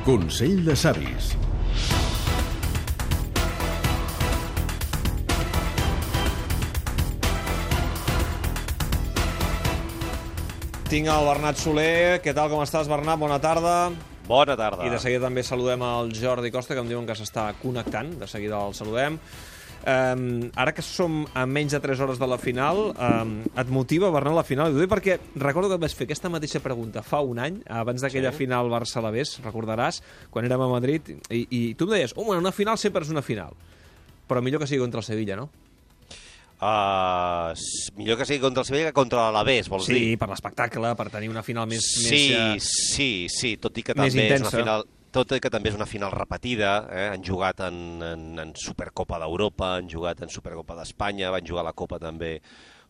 Consell de savis. Tinc el Bernat Soler. Què tal, com estàs, Bernat? Bona tarda. Bona tarda. I de seguida també saludem el Jordi Costa, que em diuen que s'està connectant. De seguida el saludem. Ara que som a menys de 3 hores de la final, et motiva, Bernat, la final? Ho dic perquè recordo que et vaig fer aquesta mateixa pregunta fa un any, abans d'aquella final Barça-Alavés, recordaràs, quan érem a Madrid, i tu em deies, una final sempre és una final, però millor que sigui contra el Sevilla, no? Millor que sigui contra el Sevilla que contra l'Alavés, vols dir? Sí, per l'espectacle, per tenir una final més... Sí, tot i que també és una final... Tot i que també és una final repetida, han jugat en Supercopa d'Europa, han jugat en Supercopa d'Espanya, van jugar a la Copa també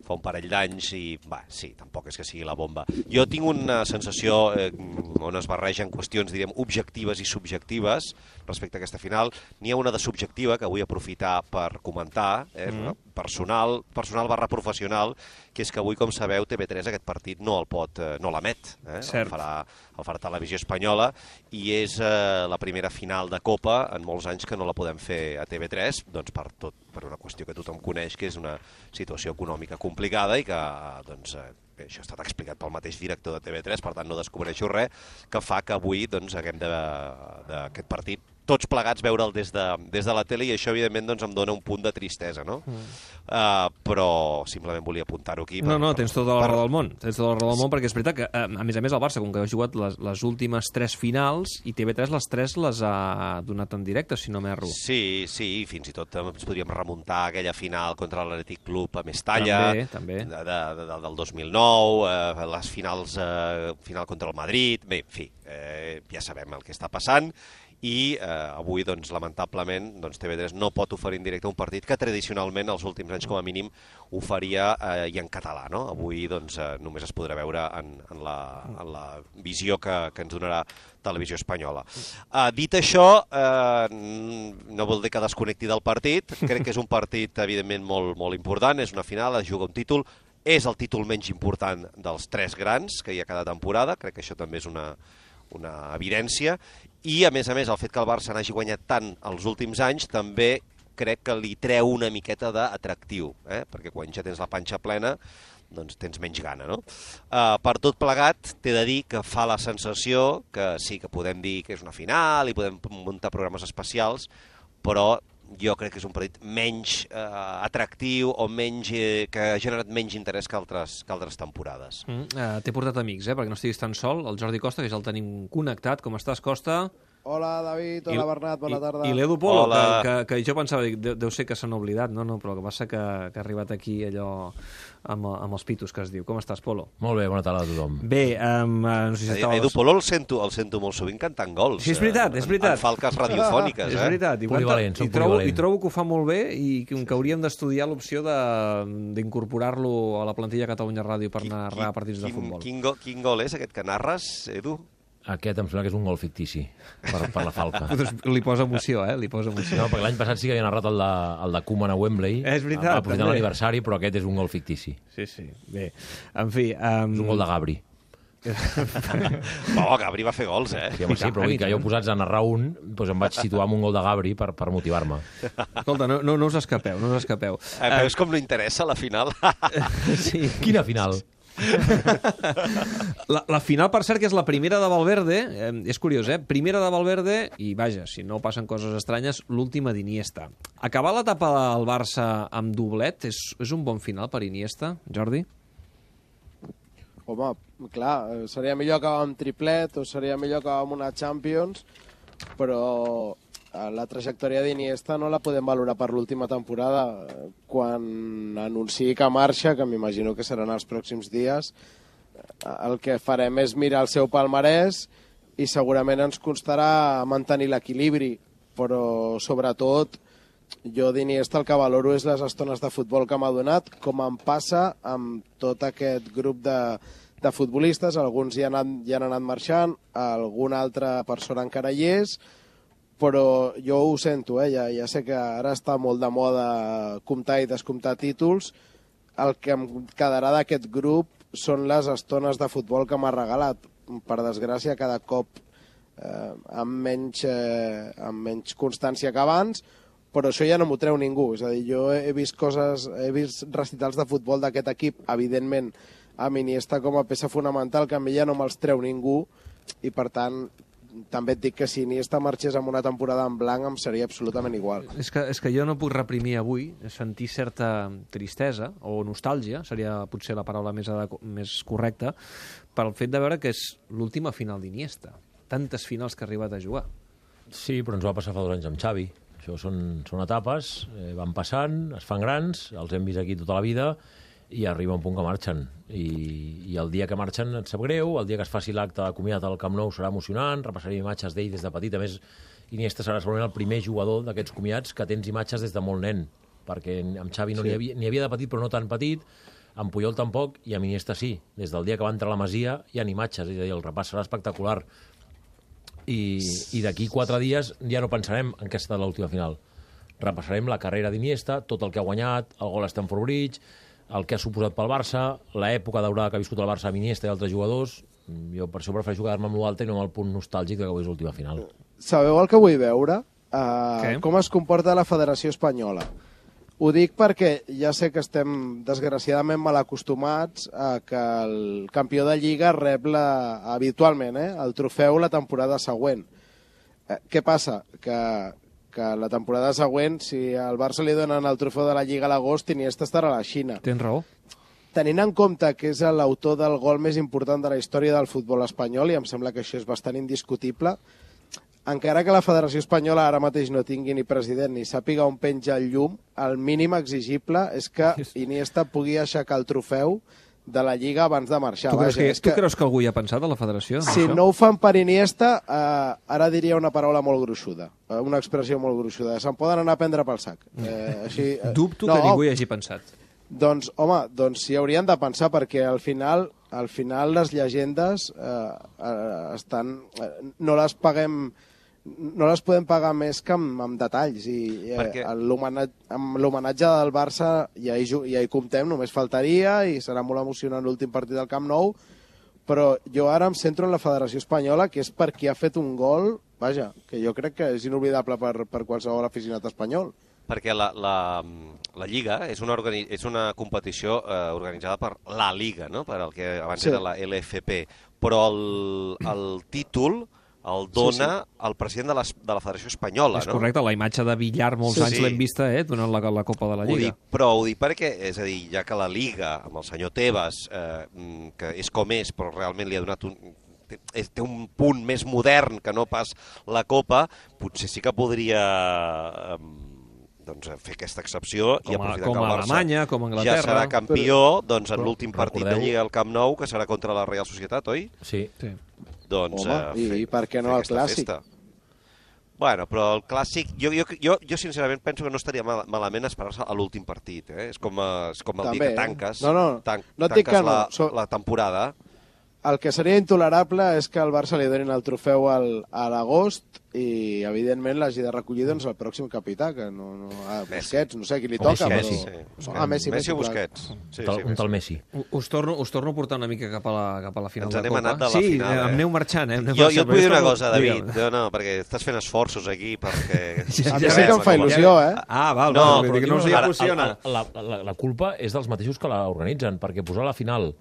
fa un parell d'anys i, sí, tampoc és que sigui la bomba. Jo tinc una sensació on es barregen qüestions, diríem, objectives i subjectives respecte a aquesta final. N'hi ha una de subjectiva que vull aprofitar per comentar, personal barra professional, que és que avui, com sabeu, TV3 aquest partit no l'emet. El farà Televisió Espanyola i és la primera final de Copa en molts anys que no la podem fer a TV3, doncs per una qüestió que tothom coneix, que és una situació econòmica complicada i que, doncs, això ha estat explicat pel mateix director de TV3, per tant no descobreixo res, que fa que avui haguem d'aquest partit tots plegats veure'l des de la tele i això, evidentment, doncs, em dona un punt de tristesa, no? Però simplement volia apuntar-ho aquí. No, tens tota la raó del món. Tens tota la raó del món, perquè és veritat que, a més el Barça, com que ha jugat les últimes 3 finals, i TV3 les 3 les ha donat en directe, si no m'erro. Sí, fins i tot ens podríem remuntar a aquella final contra l'Atlètic Club a Mestalla, també. Del 2009, les finals final contra el Madrid, bé, en fi, ja sabem el que està passant. I avui, doncs, lamentablement, TV3 no pot oferir en directe un partit que tradicionalment, els últims anys com a mínim, oferia i en català, no? Avui, doncs, només es podrà veure en la visió que ens donarà Televisió Espanyola. Dit això, no vol dir que desconnecti del partit, crec que és un partit, evidentment, molt important, és una final, es juga un títol, és el títol menys important dels 3 grans que hi ha cada temporada, crec que això també és una evidència, i a més, el fet que el Barça n'hagi guanyat tant els últims anys també crec que li treu una miqueta d'atractiu, perquè quan ja tens la panxa plena doncs tens menys gana, no? Per tot plegat, t'he de dir que fa la sensació que sí, que podem dir que és una final i podem muntar programes especials, però jo crec que és un partit menys atractiu o que ha generat menys interès que altres temporades. T'he portat amics, perquè no estiguis tan sol, el Jordi Costa, que ja el tenim connectat. Com estàs, Costa? Hola, David. Hola, Bernat. Bona tarda. I l'Edu Polo, que jo pensava, deu ser que s'han oblidat, no, però el que passa que ha arribat aquí allò amb els pitos, que es diu. Com estàs, Polo? Molt bé, bona tarda a tothom. Bé, no sé si estaves... Edu Polo el sento molt sovint cantant gols. Sí, és veritat. En falques radiofòniques, És veritat. I trobo que ho fa molt bé i que hauríem d'estudiar l'opció d'incorporar-lo a la plantilla Catalunya Ràdio per narrar partits de futbol. Quin gol és aquest que narres, Edu? Aquest em sembla que és un gol fictici per la falca. Li posa emoció, li posa emoció. No, perquè l'any passat sí que havia narrat el de Koeman a Wembley, és veritat, aprofitant l'aniversari, però aquest és un gol fictici. Sí. Bé, en fi... És un gol de Gabri. Gabri va fer gols, Sí, però vull dir que jo posats a narrar un, doncs em vaig situar amb un gol de Gabri per motivar-me. Escolta, no us escapeu, Veus com no interessa la final? Sí. Quina final? La final, per cert, que és la primera de Valverde, és curiós, primera de Valverde, i vaja, si no passen coses estranyes, l'última d'Iniesta. Acabar l'etapa del Barça amb doblet és un bon final per Iniesta, Jordi? Home, clar, seria millor acabar amb triplet o seria millor acabar amb una Champions, però la trajectòria d'Iniesta no la podem valorar per l'última temporada. Quan anunciï que marxa, que m'imagino que seran els pròxims dies, el que farem és mirar el seu palmarès i segurament ens costarà mantenir l'equilibri, però sobretot jo d'Iniesta el que valoro és les estones de futbol que m'ha donat, com em passa amb tot aquest grup de futbolistes. Alguns ja han anat marxant, alguna altra persona encara hi és, però jo ho sento, ja sé que ara està molt de moda comptar i descomptar títols. El que em quedarà d'aquest grup són les estones de futbol que m'ha regalat. Per desgràcia, cada cop amb menys constància que abans, però això ja no m'ho treu ningú. És a dir, jo he vist recitals de futbol d'aquest equip, evidentment, amb Iniesta com a peça fonamental, que a mi ja no me'ls treu ningú, i per tant també et dic que si Iniesta marxés amb una temporada en blanc em seria absolutament igual. És que jo no puc reprimir avui sentir certa tristesa o nostàlgia, seria potser la paraula més correcta, pel fet de veure que és l'última final d'Iniesta. Tantes finals que ha arribat a jugar. Sí, però ens va passar fa 2 anys amb Xavi. Això són etapes, van passant, es fan grans, els hem vist aquí tota la vida, i arriba un punt que marxen. I el dia que marxen et sap greu, el dia que es faci l'acte de comiat al Camp Nou serà emocionant, repassarem imatges d'ell des de petit. A més, Iniesta serà segurament el primer jugador d'aquests comiats que tens imatges des de molt nen, perquè amb Xavi n'hi havia de petit, però no tan petit, amb Puyol tampoc, i amb Iniesta sí. Des del dia que va entrar a la Masia hi ha imatges, és a dir, el repàs serà espectacular. I d'aquí 4 dies ja no pensarem en què ha estat l'última final. Repassarem la carrera d'Iniesta, tot el que ha guanyat, el gol a Stamford Bridge, el que ha suposat pel Barça, l'època daurada que ha viscut el Barça amb Iniesta i altres jugadors. Jo per això prefereixo quedar-me amb l'altre i no amb el punt nostàlgic que avui és l'última final. Sabeu el que vull veure? Com es comporta la Federació Espanyola. Ho dic perquè ja sé que estem desgraciadament mal acostumats a que el campió de Lliga rep habitualment el trofeu la temporada següent. Què passa? Que la temporada següent, si al Barça li donen el trofeu de la Lliga a l'agost, Iniesta estarà a la Xina. Tens raó. Tenint en compte que és l'autor del gol més important de la història del futbol espanyol, i em sembla que això és bastant indiscutible, encara que la Federació Espanyola ara mateix no tingui ni president ni sàpiga on penja el llum, el mínim exigible és que Iniesta pugui aixecar el trofeu de la Lliga abans de marxar. Tu creus que algú hi ha pensat a la federació? Si no ho fan per Iniesta, ara diria una paraula molt gruixuda, una expressió molt gruixuda. Se'n poden anar a prendre pel sac. Dubto que ningú hi hagi pensat. Doncs, home, hi haurien de pensar, perquè al final les llegendes no les paguem, no les podem pagar més que amb detalls, i amb l'homenatge del Barça ja hi comptem, només faltaria, i serà molt emocionant l'últim partit del Camp Nou, però jo ara em centro en la Federació Espanyola, que és per qui ha fet un gol, vaja, que jo crec que és inoblidable per qualsevol aficionat espanyol. Perquè la Lliga és una competició organitzada per la Liga, no? Per el que abans era la LFP, però el títol el dona el president de la Federació Espanyola. És correcte, la imatge de Villar molts anys l'hem vista donant la Copa de la Lliga. Però ho dic perquè, és a dir, ja que la Liga, amb el senyor Tebas, que és com és, però realment li ha donat té un punt més modern que no pas la Copa, potser sí que podria fer aquesta excepció i aprofitar que el Alemanya, com Anglaterra, ja serà campió en l'últim partit de Lliga al Camp Nou, que serà contra la Real Societat, oi? Sí. Doncs i per què no el Clàssic? Bueno, però el Clàssic, jo sincerament penso que no estaria malament esperar-se a l'últim partit. És com el dia que tanques la temporada. El que seria intolerable és que al Barça li donin el trofeu a l'agost i, evidentment, l'hagi de recollir el pròxim capità, que a Busquets, no sé qui li toca. Messi o Busquets. Un tal Messi. Us torno a portar una mica cap a la final de la Copa. Ens n'hem anat de la final. Sí, em aneu marxant. Jo et vull dir una cosa, David. No, perquè estàs fent esforços aquí perquè... A mi sí que em fa il·lusió, val, no us hi emociona. La culpa és dels mateixos que l'organitzen, perquè posar la final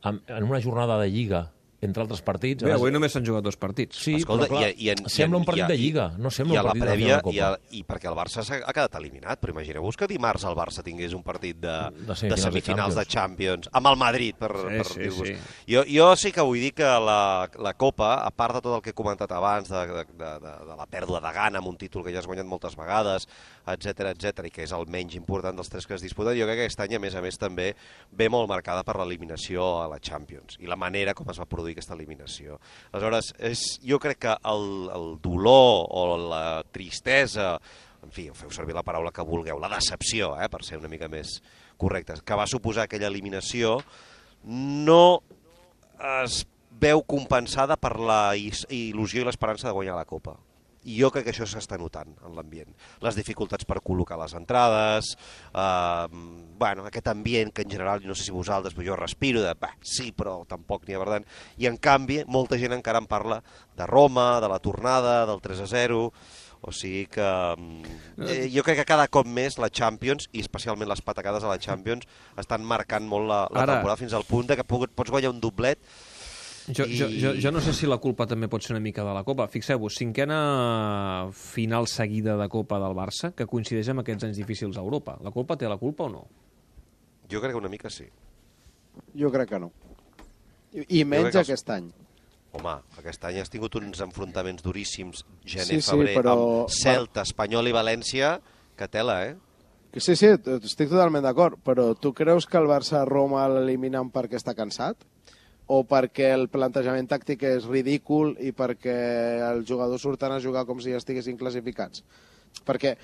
en una jornada de Lliga, entre altres partits... Bé, avui només s'han jugat 2 partits. Sí, però clar, sembla un partit de Lliga, no sembla un partit de la Copa. I perquè el Barça ha quedat eliminat, però imagineu-vos que dimarts el Barça tingués un partit de semifinals de Champions, amb el Madrid, per dir-vos. Jo sí que vull dir que la Copa, a part de tot el que he comentat abans, de la pèrdua de gana amb un títol que ja has guanyat moltes vegades, etc i que és el menys important dels 3 que es disputen, jo crec que aquest any, a més, també ve molt marcada per l'eliminació a la Champions i la manera com es va produir aquesta eliminació. Aleshores, jo crec que el dolor o la tristesa, en fi, feu servir la paraula que vulgueu, la decepció, per ser una mica més correctes, que va suposar aquella eliminació, no es veu compensada per la il·lusió i l'esperança de guanyar la Copa. I jo crec que això s'està notant en l'ambient. Les dificultats per col·locar les entrades, aquest ambient que en general, no sé si vosaltres, però jo respiro sí, però tampoc n'hi ha per tant. I en canvi, molta gent encara en parla de Roma, de la tornada, del 3-0... O sigui que jo crec que cada cop més la Champions, i especialment les patacades a la Champions, estan marcant molt la temporada fins al punt que pots guanyar un doblet. Jo no sé si la culpa també pot ser una mica de la Copa. Fixeu-vos, 5a final seguida de Copa del Barça, que coincideix amb aquests anys difícils a Europa. La culpa té la culpa o no? Jo crec que una mica sí. Jo crec que no. I menys aquest any. Home, aquest any has tingut uns enfrontaments duríssims, gener-febrer, però... amb Celta, Espanyol i València, que tela, Sí, estic totalment d'acord, però tu creus que el Barça-Roma l'eliminen perquè està cansat? O perquè el plantejament tàctic és ridícul i perquè els jugadors surten a jugar com si estiguessin classificats? Perquè,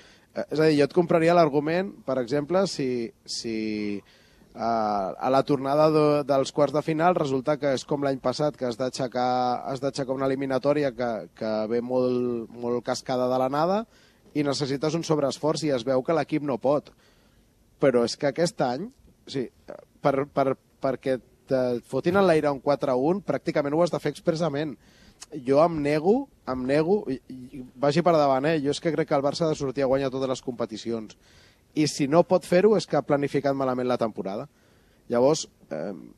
és a dir, jo et compraria l'argument, per exemple, si a la tornada dels quarts de final resulta que és com l'any passat, que has d'aixecar una eliminatòria que ve molt cascada de la nada i necessites un sobreesforç i es veu que l'equip no pot. Però és que aquest any, perquè te fotin en l'aire un 4-1, pràcticament ho has de fer expressament. Jo em nego, vagi per davant, jo és que crec que el Barça ha de sortir a guanyar totes les competicions. I si no pot fer-ho és que ha planificat malament la temporada. Llavors,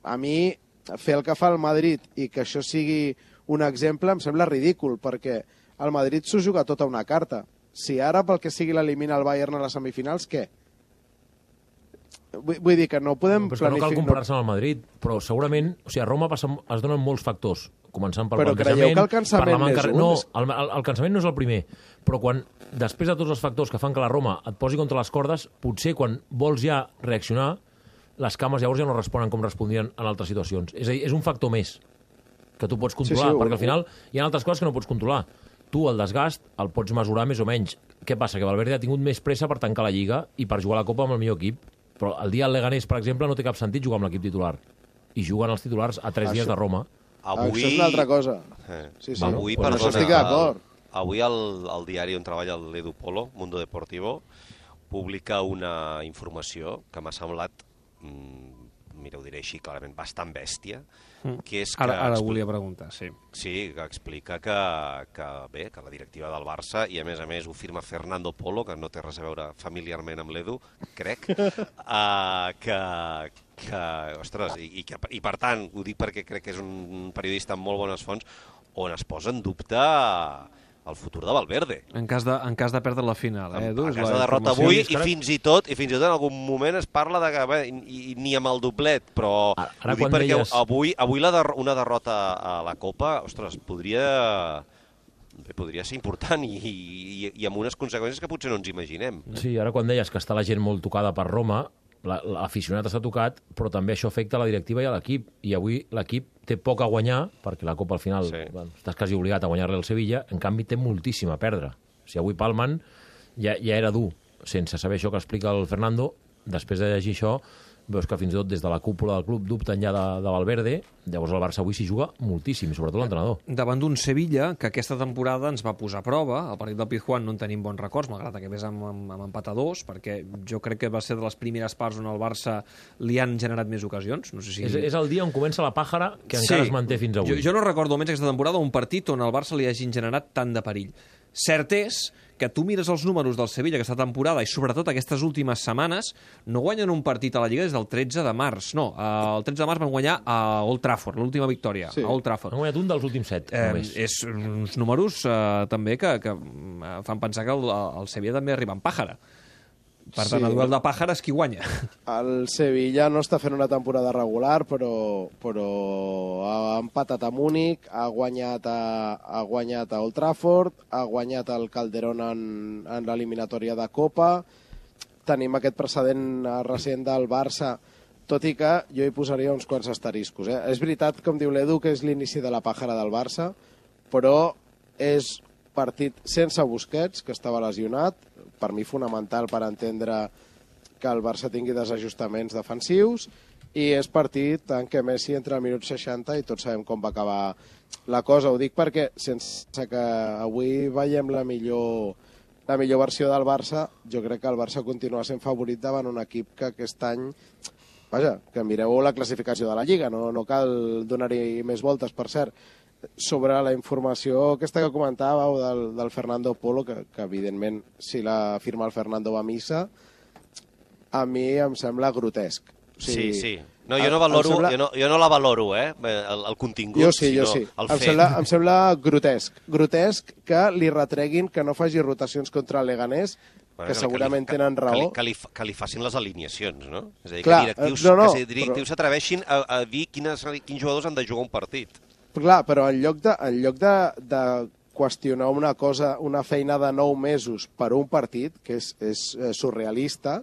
a mi, fer el que fa el Madrid i que això sigui un exemple em sembla ridícul, perquè el Madrid s'ho juga tota una carta. Si ara, pel que sigui, l'elimina el Bayern a les semifinals, què? Vull dir que no podem planificar... No cal comparar-se amb el Madrid, però segurament... O sigui, a Roma es donen molts factors, començant pel plantejament... Però creieu que el cansament n'és un? No, el cansament no és el primer, però després de tots els factors que fan que la Roma et posi contra les cordes, potser quan vols ja reaccionar, les cames llavors ja no responen com respondien en altres situacions. És a dir, és un factor més que tu pots controlar, perquè al final hi ha altres coses que no pots controlar. Tu, el desgast, el pots mesurar més o menys. Què passa? Que Valverde ha tingut més pressa per tancar la Lliga i per jugar a la Copa amb el millor equip. Però el dia del Leganés, per exemple, no té cap sentit jugar amb l'equip titular. I juguen els titulars a 3 dies de Roma. Avui... Això és una altra cosa. Sí. Avui, bueno, perdona, estic d'acord. Avui el diari on treballa l'Edu Polo, Mundo Deportivo, publica una informació que m'ha semblat, mira, ho diré així clarament, bastant bèstia, que és que... Ara volia preguntar, sí. Sí, que explica que la directiva del Barça, i a més ho firma Fernando Polo, que no té res a veure familiarment amb l'Edu, crec, ostres, i per tant, ho dic perquè crec que és un periodista amb molt bones fonts, on es posa en dubte el futur de Valverde. En cas de perdre la final, Edu? En cas de derrota avui, i fins i tot en algun moment es parla de que ni amb el doblet, però ho dic perquè avui una derrota a la Copa, ostres, podria ser important i amb unes conseqüències que potser no ens imaginem. Sí, ara quan deies que està la gent molt tocada per Roma, l'aficionat està tocat, però també això afecta la directiva i a l'equip, i avui l'equip té poc a guanyar, perquè la Copa al final estàs quasi obligat a guanyar-li al Sevilla, en canvi té moltíssim a perdre. Si avui palmen, ja era dur, sense saber això que explica el Fernando. Després de llegir això, veus que fins i tot des de la cúpula del club dubten ja de Valverde. Llavors el Barça avui s'hi juga moltíssim, sobretot l'entrenador. Davant d'un Sevilla que aquesta temporada ens va posar a prova. El partit del Pizjuán no en tenim bons records, malgrat que ves amb empat a 2, perquè jo crec que va ser de les primeres parts on el Barça li han generat més ocasions. No sé si... És el dia on comença la pàjara que encara es manté fins avui. Jo no recordo almenys aquesta temporada un partit on el Barça li hagin generat tant de perill. Cert és que tu mires els números del Sevilla aquesta temporada i sobretot aquestes últimes setmanes no guanyen un partit a la Lliga des del 13 de març. No, el 13 de març van guanyar a Old Trafford, l'última victòria, a Old Trafford. Han guanyat un dels últims 7, només. És uns números també que fan pensar que el Sevilla també arriba en pàjara. Per tant, a duel de pàjares, qui guanya? El Sevilla no està fent una temporada regular, però ha empatat a Múnich, ha guanyat a Old Trafford, ha guanyat el Calderón en l'eliminatòria de Copa. Tenim aquest precedent recent del Barça, tot i que jo hi posaria uns quants asteriscos. És veritat, com diu l'Edu, que és l'inici de la pàjara del Barça, però és partit sense Busquets, que estava lesionat, per mi fonamental per entendre que el Barça tingui desajustaments defensius, i és partit en què Messi entra al minut 60 i tots sabem com va acabar la cosa. Ho dic perquè, sense que avui veiem la millor versió del Barça, jo crec que el Barça continua sent favorit davant un equip que aquest any, vaja, que mireu la classificació de la Lliga, no cal donar-hi més voltes, per cert. Sobre la informació aquesta que comentàveu del Fernando Polo, que evidentment si la firma el Fernando va a missa, a mi em sembla grotesc. O sigui, sí. No, jo no la valoro, el contingut, jo sí. el fet. Em sembla grotesc. Grotesc que li retreguin que no faci rotacions contra el Leganés, que segurament tenen raó. Que li facin les alineacions, no? És a dir, clar, que directius s'atreveixin a dir quins jugadors han de jugar un partit. Clar, però en lloc de qüestionar una cosa, una feina de 9 mesos per un partit, que és surrealista,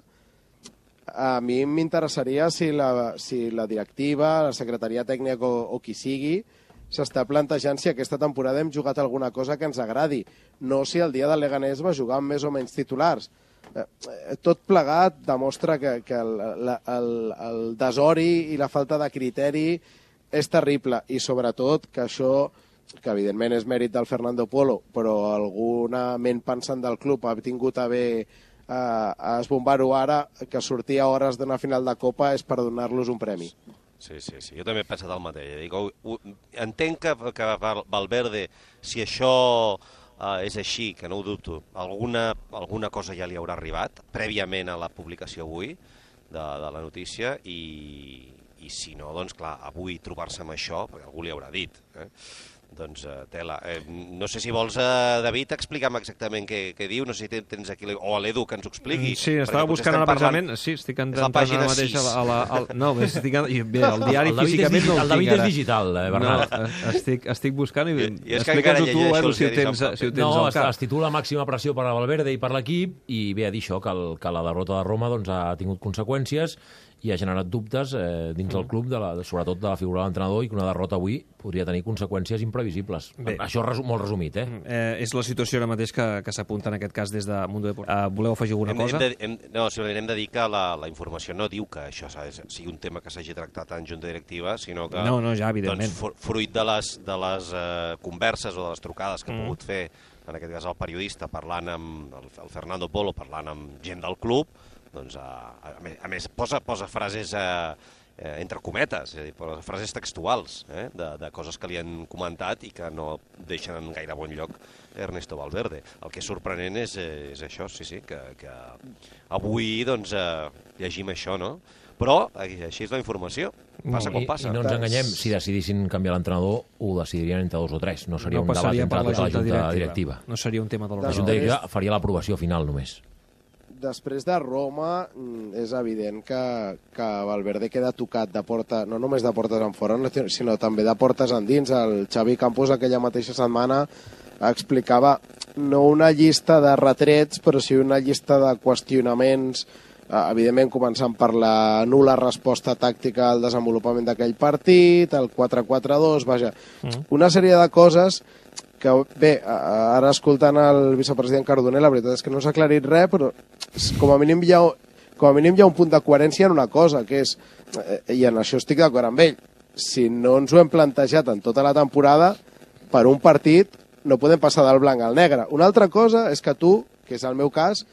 a mi m'interessaria si la directiva, la secretaria tècnica o qui sigui, s'està plantejant si aquesta temporada hem jugat alguna cosa que ens agradi, no si el dia del Leganés va jugar amb més o menys titulars. Tot plegat demostra que el desori i la falta de criteri és terrible, i sobretot que això, que evidentment és mèrit del Fernando Polo, però alguna ment pensant del club ha tingut a bé a esbombar-ho ara, que sortir a hores d'una final de Copa és per donar-los un premi. Sí, jo també he pensat el mateix. Entenc que Valverde, si això és així, que no ho dubto, alguna cosa ja li haurà arribat, prèviament a la publicació avui de la notícia, i si no, doncs clar, avui trobar-se amb això, perquè algú li haurà dit, doncs tela. No sé si vols, David, explica'm exactament què diu, no sé si tens aquí, o a l'Edu que ens ho expliqui. Sí, estava buscant ara precisament, sí, estic entrant ara mateix no, bé, el diari físicament no el tinc ara. El David és digital, Bernat. Estic buscant i explica'ns-ho tu, Edu, si ho tens al cap. Es titula Màxima pressió per a Valverde i per l'equip, i ve a dir això, que la derrota de Roma ha tingut conseqüències i ha generat dubtes dins del club, sobretot de la figura de l'entrenador, i que una derrota avui podria tenir conseqüències imprevisibles. Bé. Això molt resumit, és la situació ara mateix que s'apunta en aquest cas des de Mundo Deportivo. Voleu afegir alguna cosa? No, simplement hem de dir que la informació no diu que això sigui un tema que s'hagi tractat en junta directiva, sinó que ja, evidentment. Fruit de les converses o de les trucades que ha pogut fer, en aquest cas el periodista, parlant amb el Fernando Polo, parlant amb gent del club, doncs, a més, posa frases entre cometes, és a dir, posa frases textuals de coses que li han comentat i que no deixen en gaire bon lloc Ernesto Valverde. El que és sorprenent és això, sí, que avui doncs, llegim això, no? Però així és la informació, passa com passa. I no ens enganyem, si decidissin canviar l'entrenador, ho decidirien entre 2 o 3, no seria un debat entre tota la junta directiva. No seria un tema de la junta directiva, faria l'aprovació final només. Després de Roma és evident que Valverde queda tocat de porta, no només de portes en fora, sinó també de portes endins. El Xavi Campos aquella mateixa setmana explicava no una llista de retrets, però sí una llista de qüestionaments, evidentment començant per la nul·la resposta tàctica al desenvolupament d'aquell partit, el 4-4-2, vaja, una sèrie de coses que, bé, ara escoltant el vicepresident Cardoner, la veritat és que no s'ha aclarit res, però com a mínim hi ha un punt de coherència en una cosa, que és, i en això estic d'acord amb ell, si no ens ho hem plantejat en tota la temporada, per un partit no podem passar del blanc al negre. Una altra cosa és que tu, que és el meu cas,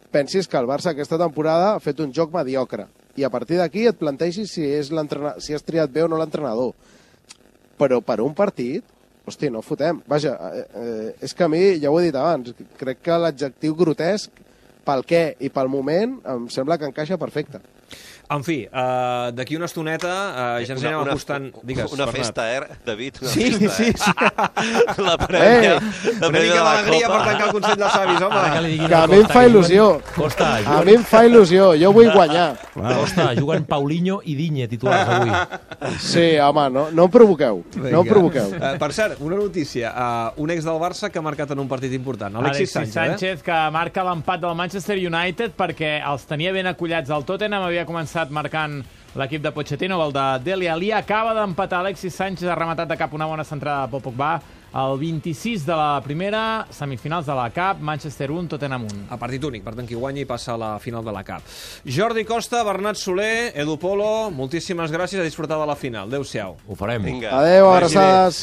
pensis que el Barça aquesta temporada ha fet un joc mediocre, i a partir d'aquí et plantegis si has triat bé o no l'entrenador. Però per un partit, hosti, no fotem. Vaja, és que a mi, ja ho he dit abans, crec que l'adjectiu grotesc, pel què i pel moment, em sembla que encaixa perfecte. En fi, d'aquí una estoneta ja ens anem apostant... Una festa, David? Sí. La prèvia. Una mica d'alegria per tancar el Consell de Savis, home. Que a mi em fa il·lusió. A mi em fa il·lusió, jo vull guanyar. Costa, juguen Paulinho i Digne titulars avui. Sí, home, no em provoqueu. No em provoqueu. Per cert, una notícia. Un ex del Barça que ha marcat en un partit important. Alexis Sánchez, que marca l'empat del Manchester United perquè els tenia ben acollats al Tottenham, havia començat marcant l'equip de Pochettino, el de Dele Alli. Acaba d'empatar Alexis Sánchez, ha rematat de cap una bona centrada de Paul Pogba, el 26 de la primera, semifinals de la CUP, Manchester 1, Tottenham 1. A partit únic, per tant, qui guanyi passa a la final de la CUP. Jordi Costa, Bernat Soler, Edu Polo, moltíssimes gràcies, a disfrutar de la final. Adéu-siau. Ho farem. Vinga. Adéu, Vagi bé. abraçades.